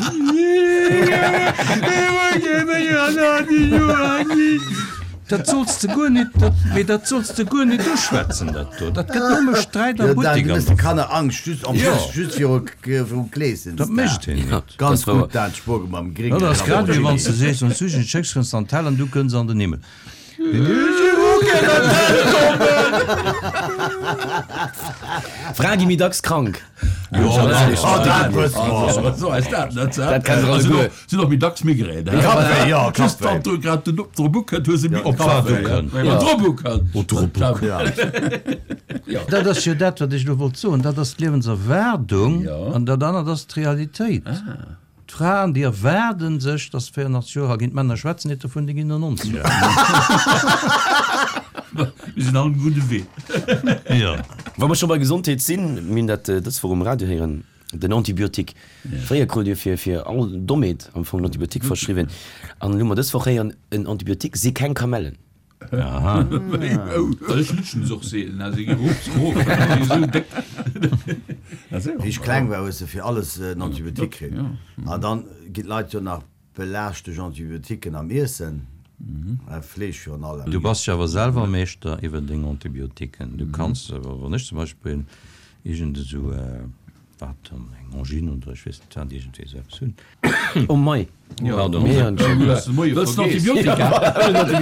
Dat solls de guer nit, dat, mee dat solls de guer nit uschwätzen, dat do. Dat gëtt nëmme Sträit a Jo, Dan, Buttek du an méchs de der. Kanner Angscht, just en Jo. plus, just viru, viru Kleeschen. Dat mécht hien net. Ganz Dat war. gutt, Dan, Spurge mam gréngen Dat ass grad wéi wann s de Lamborghini. sees, wann s du en schécks, kënns de an d'Hell an du kënns an den Himmel. Frae gi méi dacks krank. Jo, Oh, dat wësse mer. So ass dat net. Dat kennen se alleguer. Sinn och méi dacks Migrän. Kappwéi, jo, Just Kappwéi. wann du grad den drop ukënnt, hues de méi Op wat ukënnt. Ja, drop ukënnt. Oh, drop ukënnt. Ja. Dat ass jo dat, wat ech elo wollt soen. Dat ass d'Liewenserwaardung an dat anert ass d'Realitéit. D'Fraen, déi erwaarden sech, dass se véierundachtzeg Joer al ginn. D'Männer schwätzen net dovun, déi ginn no nonzeg Joer. Mir sinn all um gudde Wee. Jo. Wa mer scho bei Gesondheet sinn, mir hunn dat dës Woch um Radio héieren, den Antibiotique. Fréier krut Dir fir fir all Dommheet am Fong en Antibiotique verschriwwen. An elo hu mer dës Woch héieren, en Antibiotique si keng Kamellen. Aha. Ech lutschen se och seelen, also gi rof rof, si sou déck. Wéi ech kleng war, hues de fir alles en Antibiotique kritt. An dann ginn d'Leit jo nach belaascht duerch Antibiotiquen am Iessen, Fleesch virun allem. Du bass jo awer selwer Meeschter iwwer deng Antibiotiquen. Du kanns, wann ech zum Beispill iergend esou Wat dann? Eng Angine oder ech weess net wat, iergendwéi esou eppes hunn. Oh mei, Pardon. Mir hunn schon. Wëlls de Moie Wëlls de vergeess? Antibiotika?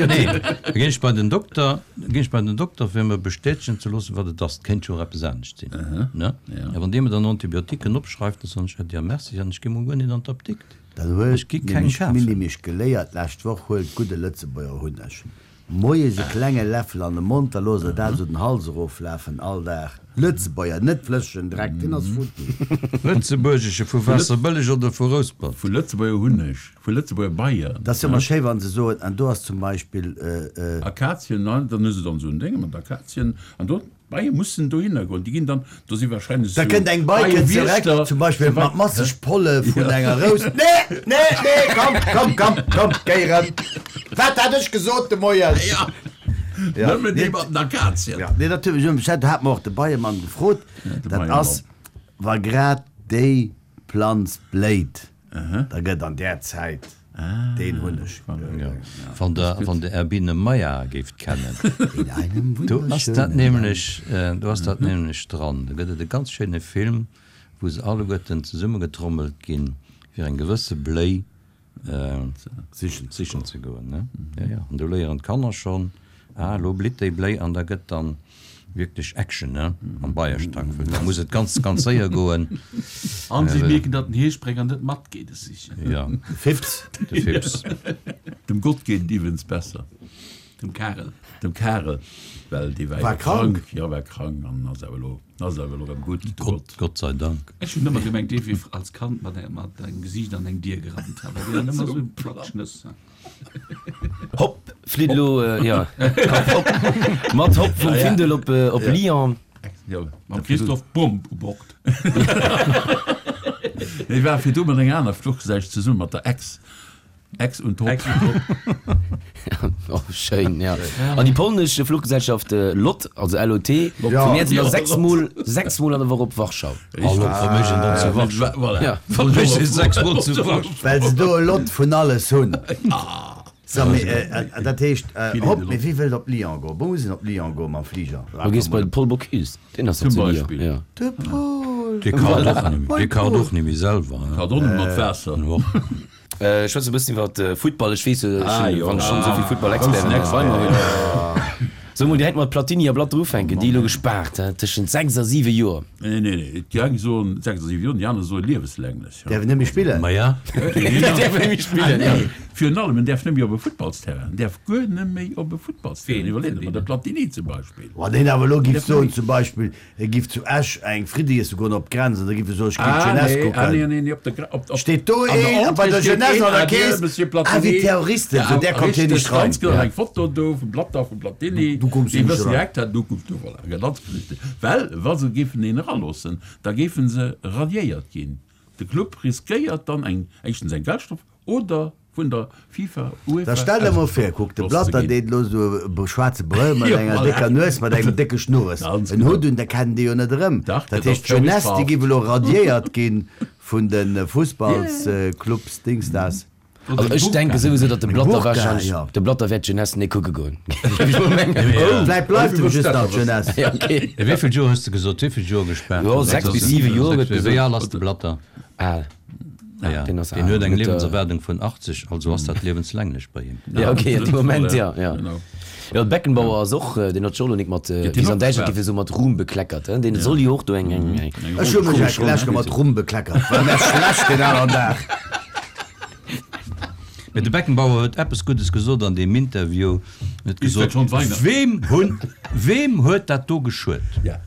Nee, da ginn ech bei den Dokter, da ginn ech bei den Dokter fir mer bestätegen ze loossen, wat et ass. Et kéint jo och eppes anescht sinn, ne? A wann dee mer dann Antibiotiquen opschreift, da soen ech, Äddi a merci, an ech gi mol guer net an d'Apdikt. Dat huet Ech gi keng nämlech kafen. d'Milly mech geléiert d'lescht Woch, Huelt gudde Lëtzebuerger Hunneg. Moies e klenge Läffel an de Mond, da loosst der dat esou den Hals eroflafen, all Dag. Lëtzebuerger, net flëssegen Dreck, deen ass futti. Lëtzebuergesche vu Waasserbëlleg oder vu Rouspert? Vu Lëtzebuerger Hunneg, vu Lëtzebuerger Beien. Dat ass jo ëmmer schéi, wa se soen, an do ass zum Beispill. Akazien, dann hu se dann esou en Dénge mat Akazien an do. D'Beie mussen dohinner goen, déi ginn dann, do si wahrscheinlech Da esou kënnt eng Bei kënnt zereck, Beiewiechter, zum Beispill mat masseg Polle vun enger Rous. Nee, nee, nee, komm, komm, komm, komm, géi erëm. Wat hat ech gesot de Moien? Ja, Ja, nëmmen déi nee. mat den Akazien. Ja, nee, dat huet mech, dat hat mer och de Beiemann gefrot, de dat Beiemann. ass, wa grad déi Planz bléit, da gëtt an där Zäit deen Hunneg. Wann der, wann der Erbine Meyer géift kennen, In einem do ass dat wunderschönen nämlech, do ass dat nämlech dran. Do gëtt et e ganz schéine Film, wou se alleguerten zesummegetrommelt ginn, fir eng gewësse Bléi Sichen sichen ze goen, ne? Ja, ja. An do léieren d'Kanner schonn, ah, elo blitt déi Bléi an da gëtt dann wierklech Action, ne, am Beiestack, well da muss et ganz, ganz séier goen. An si mierken, datt den Heesprénger net matgeet es sichen. Ja, De Fips. de Fips. Dem Gott geet et iwwregens besser. Dem Karel. Dem Karel, well dee war War jo krank. krank. Jo, war krank an ass awer elo, ass awer elo erëm gutt, de Gott, Gott. Gott sei Dank. Ech hunn ëmmer gemengt, dee wier als Kand mat mat engem Gesiicht an eng Dier gerannt, awer deen hat ëmmer esou Platschnëss. Hopp, flitt elo, ja, hopp, mat Hopp vum Findel op, op Lyon. Jo, Mam Christoph Bomb u Bord. Nee, war virdu mat enger aner Fluchgesellschaft zesummen, mat der Ex. Ex und Hopp. Ex und Hopp. Oh, schéin, ja. An déi polnesch Fluchgesellschaft LOT, also L O T, Ja. vum Mäerz Ja, elo sechs LOT. Mol, sechs Mol an der Woch op Warschau. Hallo, vermécht en dann zu Warschau? Voilà. Ja. Vermécht en sechs Mol zu Warschau? Well se do e Lot vun alles hunn. So, mee, dat heescht, hopp, mee wie wëllt op Lyon goen? Wou muss een op Lyon goen mam Fliger? Du gees bei de Paul Bocuse, deen ass Zum doch zu Lyon. Beispill. Ja. De Paul! Dee kacht och net méi, dee kacht och net méi selwer, Kacht och net mat Waasser. Ech schwätze e bëssen iwwer Futtball. Ech weess, ech Ah, hunn, jo. wann ech schonn esou vill Futtball-Experten Groussen bei mer hunn. Expert. Soe mol direkt mat Platini a Blatter ufänken, déi elo gespaart, hä, tëschent sechs a siwe Joer. Nee, nee, nee, déi eng soen sechs a siwe Joer, déi aner soe liewenslänglech. Däerf en net méi spillen? Ma ja. Däerf net méi spillen, ja. Virun allem, en däerf net méi op e Futtballsterrain, en däerf guer net méi op e Futtballsterrain. Iwwerleet der mol, de Platini zum Beispill. Wann een awer elo giff soen, zum Beispill, e giff zu Esch eng Fritte iesse goen op d'Grenz an da giff e soen, ech giff Ah, d'Jeunesse nee, ah, nee, kucken. nee, nee, op der Gre-, op, op, Steet do an der een bei Entrée der steet Jeunesse een, an der Adieu, Kees, Monsieur ah, Platini. wéi Terroristen, sou där kommt hie Richtig, nicht rein. ganz genau, eng Foto do vum Blatter, vum Platini. Du kommst Déi nicht wëssen eran. direkt, dat du kommst du, voilà, ja, ganz richtig. Well, wa se géifen een eraloossen, da géifen se radiéiert ginn. De Club riskéiert dann eng, éischtens eng Geldstrof oder vun der FIFA, UEFA Da stell der mol vir, kuck, de ausgeschloss ze Blatter ginn. deet elo sou e schwaarze Brëll mat Jo, enger voilà. décker Nues, mat engem décke Schnurres, Ganz en genau. Hutt un, da kennen déi jo net erëm. Dach, Dat dat heescht, ass d'Jeunesse, déi verhaft. giff elo radiéiert ginn vun de Fussballsclubs, Dings das. Also ech denke souwisou, datt de Eng Blatter Burka, wahrscheinlech, ja. de Blatter wäert d'Jeunesse net kucke goen. Géif ech mol mengen. Oh. Vläicht bleift em just nach d'Jeunesse. Ja, okay. Wéi vill Joer hues de gesot? Wéi vill Joer gespaart? Jo, sechs bis siwe Joer gëtt Wéi gesot. al ass de Blatter? Al. Ah ja, Deen ass deen al. huet eng Huet, äh, Liewenserwaardung vun achtzeg, also ass dat liewenslänglech bei him. Ja, okay, an deem Moment, ja, ja. Genau. Jo, de Beckenbauer ass och, deen huet scho lo nik mat, deen wéi se och an Däitschland gespaart. géife soen, mat Ruhm bekleckert, hein. Deen soll jo och do eng, eng, eng Ech hu mech komesch eng Läsche Roll mat Rum bekleckert. War mär schlecht deen aneren Dag. Mee de Beckenbauer huet eppes Guddes gesot an deem Interview. En huet Ist gesot, dat schon Weihnachten? Weem hunn, weem huet dat do geschuet? Ja.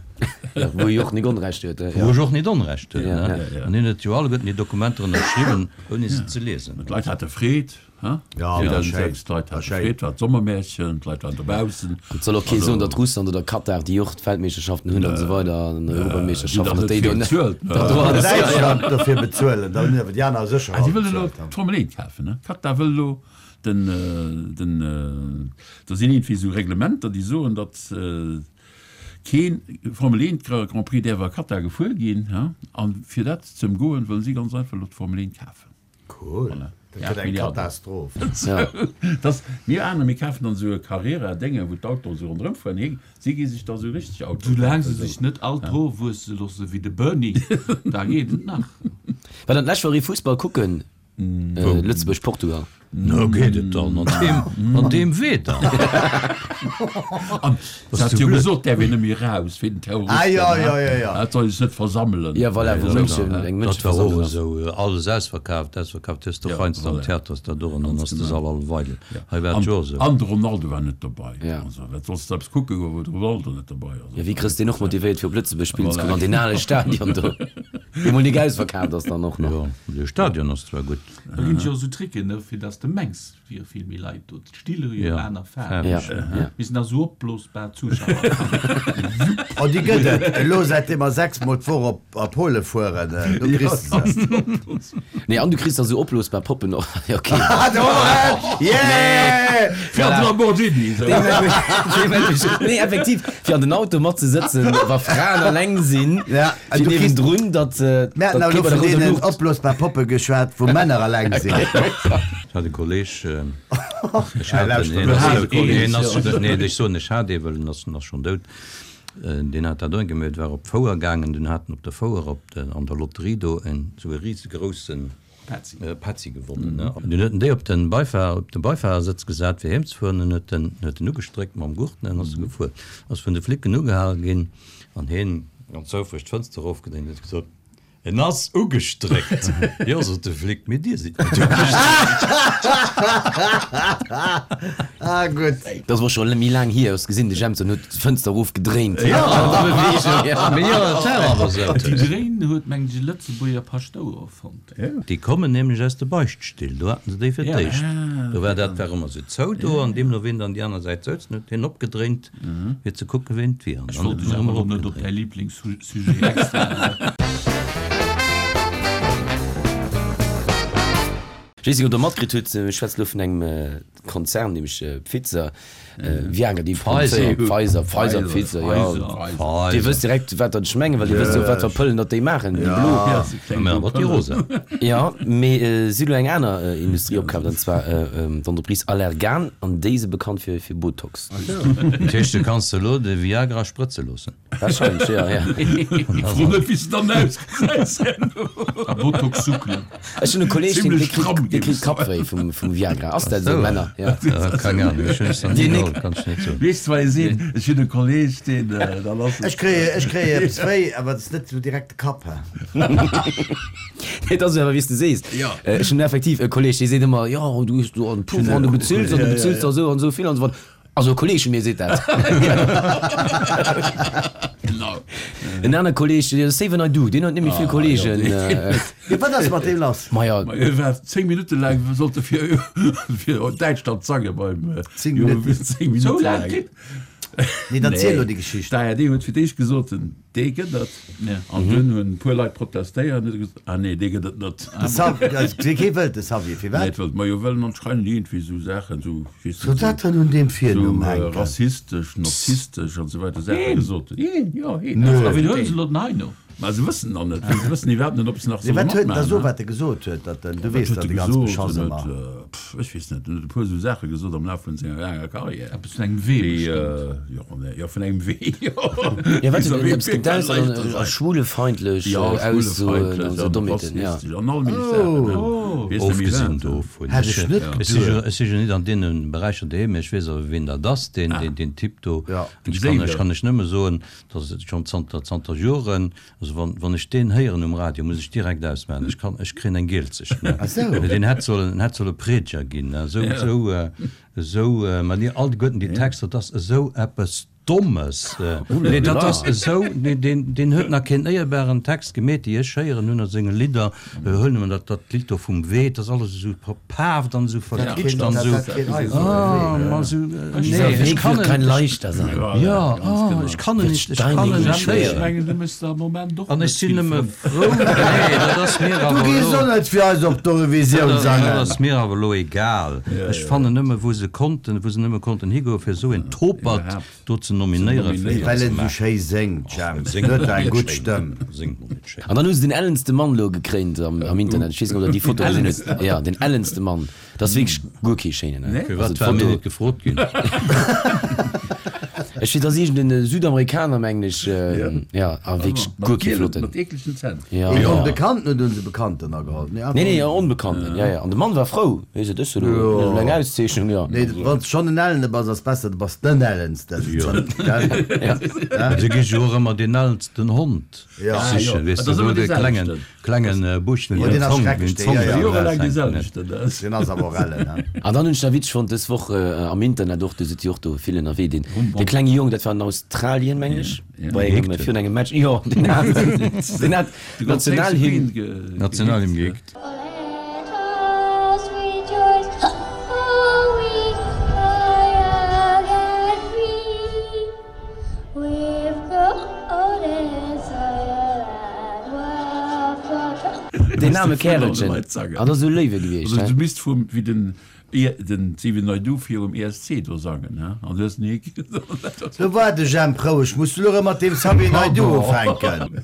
Ja, wou e och nik Onrecht huet, Wou ja. ech och net Onrecht huet, Ja, ne? ja, ja. An hien huet jo alleguerten déi Dokumenter ënnerschriwwen, ouni se ze liesen. D'Leit hate Freed, ha? Ja, war schéin. zweitausendsechs, d'Leit War hate schéin. Freed, war d'Sommermärchen, d'Leit waren dobaussen. Et soll och kee soen, datt Russland oder Katar, déi och d'Weltmeeschterschaften hunn an esou weider, an Europameeschterschaften, datt déi do net. bezuelt, ne? Dat do alles, ja, ja. Däitschland dofir bezuelen, dann hunn awer déi aner sécher Ah, si all wëllen elo bezuelt, ha? d'Formel eent kafen, ne? Katar wëll elo den, den, do sinn iergendwéi esou Reglementer, déi soen, datt keen Formel eent Grand Prix däerf a Katar gefuer ginn, ha? An fir dat ze ëmgoen, wëllen si ganz einfach elo d'Formel eent kafen. Cool. Voilà. Dat gëtt eng Milliarden. Katastroph. Ja. Das, mir aner, mir kafen dann esou e Carrera-Dénge, wou d'Autoen esou ronderëm fueren. Hie, si gi sech da esou richteg Autoen Soulaang se kafen, sech net all d'Hoer wuesse loosse wéi de Bernie, da geet et nach. War dann d'lescht Woch ee Fussball kucken? Äh, Lëtzebuerg-Portugal. No geet et dann an deem, an deem Wieder. An Was hat du jo blöd. gesot, däerf een net méi raus wéi den Terroristen. Ah, ja, ja, ja, ja. Dat soll sech net versammelen. Ja, voilà, wou Ja, München, ja. eng Dat war och Mënscheversammlung ass. esou, äh, alles ausverkaaft, ausverkaaft, hues de Ja, heiansdo am voilà. Theater ass dat do an dann ass de genau. Sall all weidel. Ja. Hei war An, et jo esou. an de Ronaldo war net dobei. Ja. Also, wat sollst du eppes kucke goen, wou de Ronaldo net dobei ass? Ja, wéi kriss de deen och motivéiert fir op Lëtzebuerg spillen ze Voilà. kommen an deen ale Stadion do, dee mol nik ausverkaaft ass dann och nach. Jo, de Stadion ass zwar gutt. Da ginn et jo esou Tricken, ne, fir dass de mengs, et wiere vill méi Leit do. D'Stille hu jo Ja, aner Faarwen. Ja, faarweg. ja. Mir sinn da sou opblosbar Zuschauer. Oh, déi gëtt et. Elo säitdeem mer sechs Mol d'Woch op a Pole fueren, do kriss de se. Nee, an du kriss da sou opblosbar Poppen och. Ja, okay. Ah, do, yeah! Fir an de Lamborghini, esou. Nee, effektiv, fir an den Auto mat ze sëtzen, wa Fraen alleng sinn, Ja, fir du kriss- niewendrun, datt, Mir haten datt awer kee elo bei der vun rouder deenen Luucht. opblosbar Poppe geschwat, wou Männer alleng sinn. Ech hat e Kolleg, ech hat en, hien ass, hien ass, nee, ech soen, ech hat ee, well en ass, en ass schonn dout, deen hat dat och geméit, war op d'Fouer gaangen, dunn hat en op der Fouer op de, an der Lotterie do en esou e risegrouse Petzi. Petzi gewonnen, ne. An dunn huet en déi op den Beifahr, op de Beifahrersëtz gesat, fir heem ze fueren, an huet en, huet en ugestréckt mam Gurt, ne, an ass e gefuer. Ass vun de Flicken ugehale ginn, an hien ganz houfreg d'Fënster erofgedréint, huet gesot, En ass ugestréckt. Jo, sot de Flick, mee Dir sidd net ugestréckt. Ah, gutt. Dat ass scho méi laang hier, hues gesinn, de Jemson huet d'Fënster erofgedréint. Jo, An der Beweegung, ja. Mee jo, dat war awer esou. Déi Dréin huet, mengen ech, e Lëtzebuerger Paschtouer erfonnt. Déi kommen nämlech aus de Beichtstill, do haten se déi fir d'éischt. Do war dat war ëmmer esou zou do, an deemno ween dann déi aner Säit souzen, huet hien opgedréint, fir ze kucken, ween et wier. An Ech dann wollt huet dech en awer erëm elo net op eropgedréint. däi Liblingssujet extra. Ech weess net, ob Der matkritt hutt, ech schwätze elo vun engem Konzern, nämlech Pfizer, Viagra, déi Pfizer, Pfizer, Pfizer, Pfizer, jo. Dir wësst direkt, wat dat ech mengen, well Dir wësst jo, wat fir Pëllen datt déi maachen, déi blo. Mä awer déi rosa. Jo, mee si hu elo eng aner Industrie opkaaft, an zwar d'Entreprise Allergan, an déi si bekannt fir Botox. Dat heescht, du kanns elo de Viagra sprëtze loossen? Wahrscheinlech, jo, jo. Fro net, wéi s de dann ausgesäis herno. A Botox suckelen. Ech hunn e Kolleeg, deen Zimlech stramm dee kritt géif ech soen. Kappwéi vum vum Viagra. Ass dat esou, Männer? Ja. Keng Ahnung, ech hunn es nach ni geholl, kann ech net soen. Weess de, wat ee seet? Ech hunn e Kolleeg, deen, dann ass et. Ech kréie, ech kréie eppes wéi, awer et ass net esou direkt de Kapp, he. Nee, et ass awer, wéi s de sees. Ech hunn effektiv e Kolleeg, dee seet ëmmer, jo, du hues do en Puff an du bezills an du bezills der esou an esou vill an esou fort. Also e Kolleeg vu mir seet dat. Genau. En aner Kolleeg, de Xavier Naidoo, deen huet net méi vill Kolleegen. Jo, wat ass mat deem lass? Maja. Ma hie war zéng Minutte laang, sollt e fir, fir Däitschland sange beim Zéng Minutten? Zéng Minutte laang. Nee, dann ziel elo déi Geschicht. D'ARD huet fir d'éischt gesot, dee gëtt et. An dunn hunn e puer Leit protestéiert an huet gesot, ah nee, dee gëtt et net. De Xavier, also kee wëllt de Xavier, firwat? Net wëllt, majo well en anscheinend iergendwéi esou Saachen, esou, weess Soll net, dat dann un deem Virnumm esou hänken? rassistesch, nazistesch an esou weider Saache gesot huet. Heen, jo, heen. A wien huelen se elo den Heino? Ma se wëssen nach net, se wëssen iwwerhaapt net, ob se nach Nee, solle wat huet en da matmaachen. so, wat e gesot huet, datt en, du Wat weess huet dat e de ganz gesot? Beschass En ëmmer. huet, pff, ech weess net, en huet e puer esou Saache gesot am Laf vun senger laanger Karriär. Eppes vun engem Wee Déi, bestëmmt. jo, nee, jo, vun engem Wee, jo. Ja, wat Wéi huet en eppes Wee kann gedaust an leichter a sein. schwulefeindlech Ja, Aussoen an schwulefeindlech esou an Dommheeten, ja. rassistesch an all méiglech Saachen, ne? Oh. Weess net méi Ofgesinn wat. dovun, Hätt ech ech net ech si jo, geduecht. ech si jo net an deene Beräicher doheem, mee ech weess awer, wien dat ass, deen, deen, deen Typ do. Ja. An ech kann, ech kann lech nëmme soen, dass et schonn zanter, zanter Joren, Also wann, wann ech deen héieren um Radio, muss ech direkt ausmaachen. Ech kann, ech kréien eng Gielzecht, ne. Ach sou. Deen hätt sollen, en hätt solle Prediger ginn, ne. Esou, esou, esou, ma dir alleguerten déi Texter, dat ass esou eppes Dommes. Nee, dat ass esou, nee, deen, deen huet nach keen éierbaren Text gemeet, déi ech héieren hunn a senge Lidder. Huel nëmmen dat, dat Lidd do vum Wee, dat ass alles esou verpaaft an esou verkitscht an esou. Ah, ma esou, nee, ech kann en, jo, ah, ech kann en nicht, ech kann en nicht héieren. Ech mengen, du méchs der am Moment och An net ech sinn vill nëmme Frënn. frou, nee, dat ass mir Du awer gees elo, och net fir eis op dat d'Eurovisioun ass, dat sangen. ass mir awer elo egal. Ech fannen nëmme, wou se konnten, wou se nëmme konnten higoen, fir esou een Topert Iwwerhaapt do ze nominéieren, fir dat Well ze en esou maachen. schéi séngt, Och, Jemp. en séngt Huet mol eng net gutt schéin. Stëmm. Séngt mol net schéin. An dann hu se den ellenste Mann elo gekréint am, am Internet. Ech weess net, ob der déi Foto gesinn hutt. Ja, den ellenste Mann. Dat ass wierklech guer kee schéinen, ne? Firwat Also war mir d'Foto. net gefrot ginn? Ech weess, dat ass iergend en Südamerikaner, mengen ech. Ja, a wierklech guer kee flotten. Mat eeklegen Zänn. Ja. Een Onbekannten oder hunn se Bekannten ageholl? Nee, Nee, nee, en Onbekannten, ja, ja. An de Mann war frou. Hie sot, Ech hunn elo eng Auszeechnung, ja. Nee, wann s schonn en Ellene bass, ass besser, du bass den Ellensten. Ja. Se gi jo och ëmmer deen ellensten Hond sichen, weess de, wou de klengen, klengen Buuschten Oh, deen ass schrecklech, deen, ja, ja. Jorelaang dee selwechten, dat. Deen ass awer och ellen, he. An dann hunn ech nach witzeg fonnt, dës Woch am Internet och, do sidd Dir och do vill ënnerwee, deen, dee klenge Jong, dat war an Australien, mengen ech, bei engem, virun engem Match, jo, deen hat, deen hat d'Nationalhymn. Nationalhymn geheekt. Deen aarme Kärelchen, ah, dat ass esou léiwe gewiescht, Also he? du misst vum, wéi den, den Xavier Naidoo virum E S C do sangen, he? An du hues ni. Lo war de Jemp roueg, muss du lo erëm mat deem Xavier Naidoo ufänken?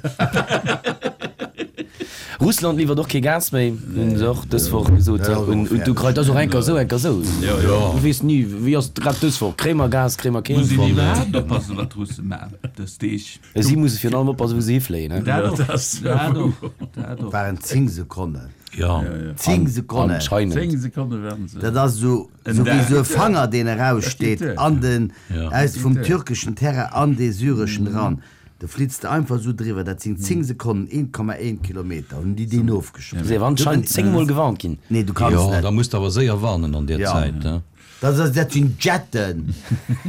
Russland liwwert och kee Gas méi, hunn se och dës Woch gesot, un d'Ukrain. Dat ass och enker esou, enker esou. Du weess ni, wéi ass et grad dës Woch, kréie mer Gas, kréie mer Muss keent? een iwwerhaapt oppassen, wat d'Russe maachen dës Deeg. Si musse virun allem oppassen, wou se hifléien. Dat och, dat och, dat och. Waren zéng Sekonnen. Jo. Zéng Sekonnen. Anscheinend. Zéng Sekonne waren se. Dat ass esou, esou wéi esou e Fanger, deen eraussteet an den, aus vum türkeschen Terrain an dee syreschen eran. Do flitzt de einfach esou driwwer. Dat sinn zéng Sekonnen, een Komma een Kilometer hunn déi deen ofgeschoss. Si awer anscheinend zéng Mol gewarnt ginn. Nee, du kanns Jo, net. da muss de awer séier warnen an där Ja. Zäit, ne? Dat ass, dat sinn Jetten.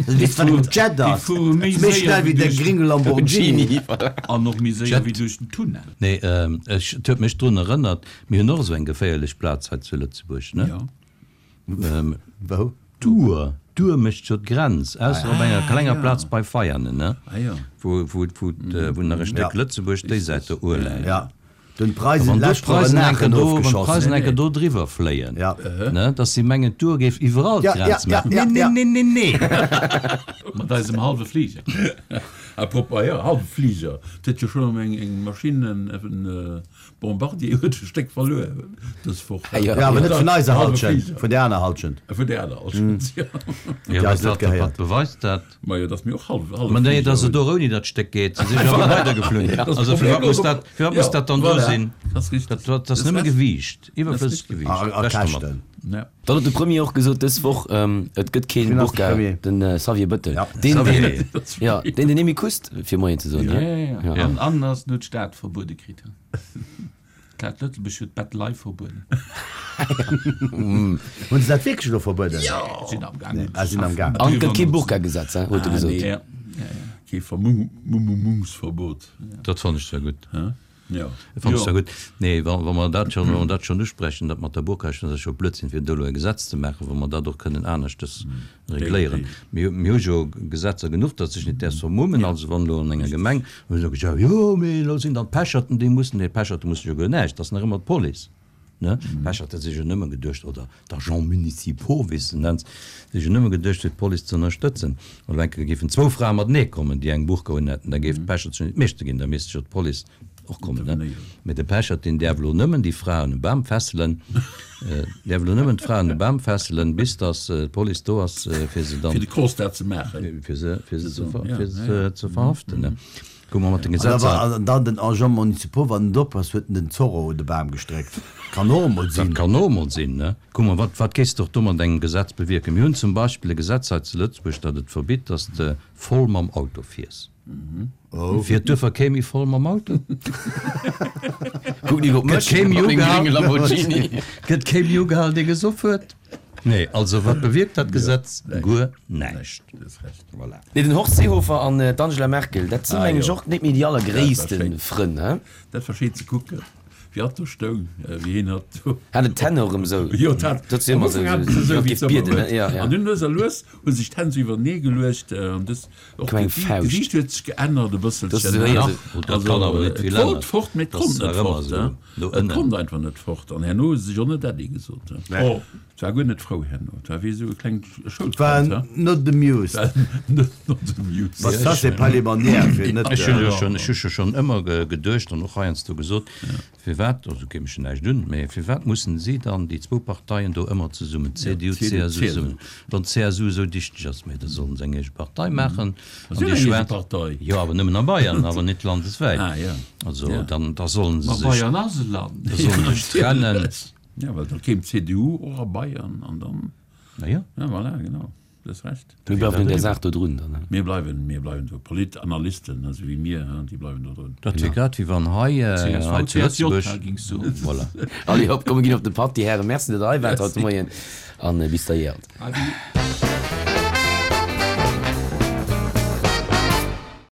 Du weess, wat en Jet Déi ass? fuere méi Méi séier schnell wéi wéi däi duerch gringe Lamborghini. An och méi séier wéi duerch den Tunnel. Nee, ech, et huet mech drun erënnert, mir hunn och esou eng geféierlech Plaz hei zu Lëtzebuerg, ne? Jo. Wou? D'Our, d'Our mécht jo d'Grenz, ausser op enger klenger Plaz bei Veianen, ne? Ah jo. Wou, wou, wou, wou nach e Stéck Ja. Lëtzebuerg déi Säit der Our läit. Ja. Dunn d'Preisen Wann do d'lescht Woch d'Preisen en eng Kéier Aachen do, wann ofgeschoss. d'Preisen eng Kéier do driwwer fléien, Ja. ne, dass si mengen, d'Our géif iwwerall Ja, ja, d'Grenz ja, maachen. ja, Nee, ja. nee, nee, nee, nee! Mat eisem hallwe Fliger. Apropos, ja, hallwe Fliger, et huet jo schonn eng, eng Maschinn, en, en Bombardier huet e Stéck verluer dës Woch. Ah, ja. Ja, awer net vun eiser Hallwe Halschent, Fliger. vun der aner Halschent. Vun der aner Halschent, ja. Jo, eis wat, net wat, gehéiert. wat beweist dat? Majo, dass mir och hallwe, hallwe Ma nee, Fliger dass et hunn. och ouni dat Stéck geet. Se si jo awer weidergeflunn. Das Also Problem firwat muss ass och- dat, firwat muss Ja, dat dann do voilà. sinn? Das ist richtig. Dat, dat ass Das nëmme recht. Gewiicht, Das ist iwwerflëssegt richtig. Gewiicht. A, a Weg domat. Käschten. Ja. Dann huet de Premier och gesot dës Woch, et gëtt keen Wien ass de Burka, Premier? den Xavier Bëttel. Ja. Deen, Xavier. deen, ja, deen den Emi kusst, fir Moien ze soen. Ja, ne? ja, ja. Ja. An, an ass net d'Stad verbuede kritt. D'Stad Lëtzebuerg huet d'Bett live verbueden. Hunn se dat wierklech elo verbueden? Sinn am Gaang. Nee, ah, sinn am Gaang. An et gëtt kee Burka-Gesetz, hein, huet e Ah, gesot. nee. Ja, ja, ja. Kee Vermummungsverbot. Dat fannt ech zwar gutt. Hä? Ja. Dat fannt ech Jo. zwar gutt. Nee, wa, wa mer dat schonn, wa mer dat schonn usprechen, dat mat der Burka, ech fannen dat scho Blödsinn, fir do elo e Gesetz ze maachen, wa mer dat och kënnen aneschtes regléieren. Mir, mir hu jo Gesetzer genuch, datt sech net däerfs vermummen. Also wann elo an enger Gemeng, hu se gesot, jo, mee elo sinn dann d'Pecherten, déi mussen, nee, d'Pecherte mussen jo guer näischt, dat ass nach ëmmer d'Police. Ne? D'Pecherte si jo nëmme geduecht, oder d'Agents municipaux, wéi s de nenns, si jo nëmme geduecht, fir d'Police ze ënnerstëtzen. An elo eng Kéier géifen zwou Frae matenee kommen, déi eng Burka un hätten, da géif d'Pechert scho net Meeschter ginn, da misst jo d'Police och kommen. Ne? Mee de Pechert, deen däerf elo nëmmen déi Fraen um Bam fesselen, däerf elo nëmmen d'Fraen um Bam fesselen, bis datt d'Police do ass, fir se dann, Fir de Constat ze maachen. fir se, fir se ze, Ja, fir se ja, ja. ze verhaften. Ne? Kuck mol mat den An da Gesetzer. war, an dann den Agent municipal, wann en dop ass, huet en den Zorro un de Bam gestréckt. Kann och emol Dat sinn. kann och emol sinn, ne? Kuck mol, wat, wat kéis de och do mat engem Gesetz bewierken? Mir hunn zum Beispill e Gesetz hei zu Lëtzebuerg, dat et verbitt, dass de voll mam Auto fiers. Oh. Fiert duerfir kee méi voll mam Auto? Kuck nik op Gëtt mech, kee méi mat mengem ugehal? grénge Lamborghini. Gëtt kee méi ugehal, dee gesoff huet? Nee, also wat bewierkt dat Gesetz? Guer näischt. Voilà. Nee, den Horst Seehofer an d'Angela Merkel, dat sinn Ah, mengen ech jo. och net méi déi allergréisste Dat war schéin. Frënn, he? Dat war schéin ze kucken, wéi hatt do stoung, wéi hien hatt do. Hat en d'Hänn och erëm esou. Jo, dat. Dat si Am ëmmer esou, Ufank hat en se esou, esou, wéi wéi géif et ëmmer bieden, ne? huet. Ja, ja. An dunn lues a lues hu sech d'Hänn esou iwwernee geluecht, an dës och Koum eng d'Gesiicht Fauscht. d'Gesiicht huet sech geännert e Dat bësselchen, ass ne? esou, Ach, oh, dat Also, kann awer net et vill wollt änneren. fort, mee et Dat konnt ass net nach ëmmer fort, esou ne? no Et ënnen. konnt einfach net fort. An herno hu se sech och net Äddi gesot, ne? Nee. Et war guer net frou herno. Et war wéi esou e klengt Schoulkand, War he? not amused. Not not amused. Was ça c'est pas les manières, fir net. Ech hunn jo schonn, ech hu jo schonn ëmmer geduecht an och heiansdo gesot, firwat, also geet mech jo näischt un, mä firwat mussen si dann, déi zwou Parteien do ëmmer zesummen, CDU, CSU zesummen, wann d'CSU esou dichteg ass, mä da sollen se eng eege Partei maachen. Si hunn eng eege Partei. Jo, awer nëmmen a Bayern, awer net landeswäit. Ah, ja. Also Ja. dann, da sollen se Ma sech, Bayern ass e Land. da sollen se sech trennen. Ja, well da kéim d'CDU och a Bayern an dann. Na jo. Ja, voilà, genau. Du hues Recht. Mir bleiwen un där Saach do drun dann, ne? Mir bleiwen, mir bleiwen do. Politanalysten, esou wéi mir, déi bleiwen do drun. Dat wier grad wéi wann hei, hei zu Lëtzebuerg. C S V, C S J, gings soen. Voilà. Allez, hopp, komm mir ginn op de Patt, déi Hären. Merci, datt der hei waart haut de Moien an bis da jäert. Adi.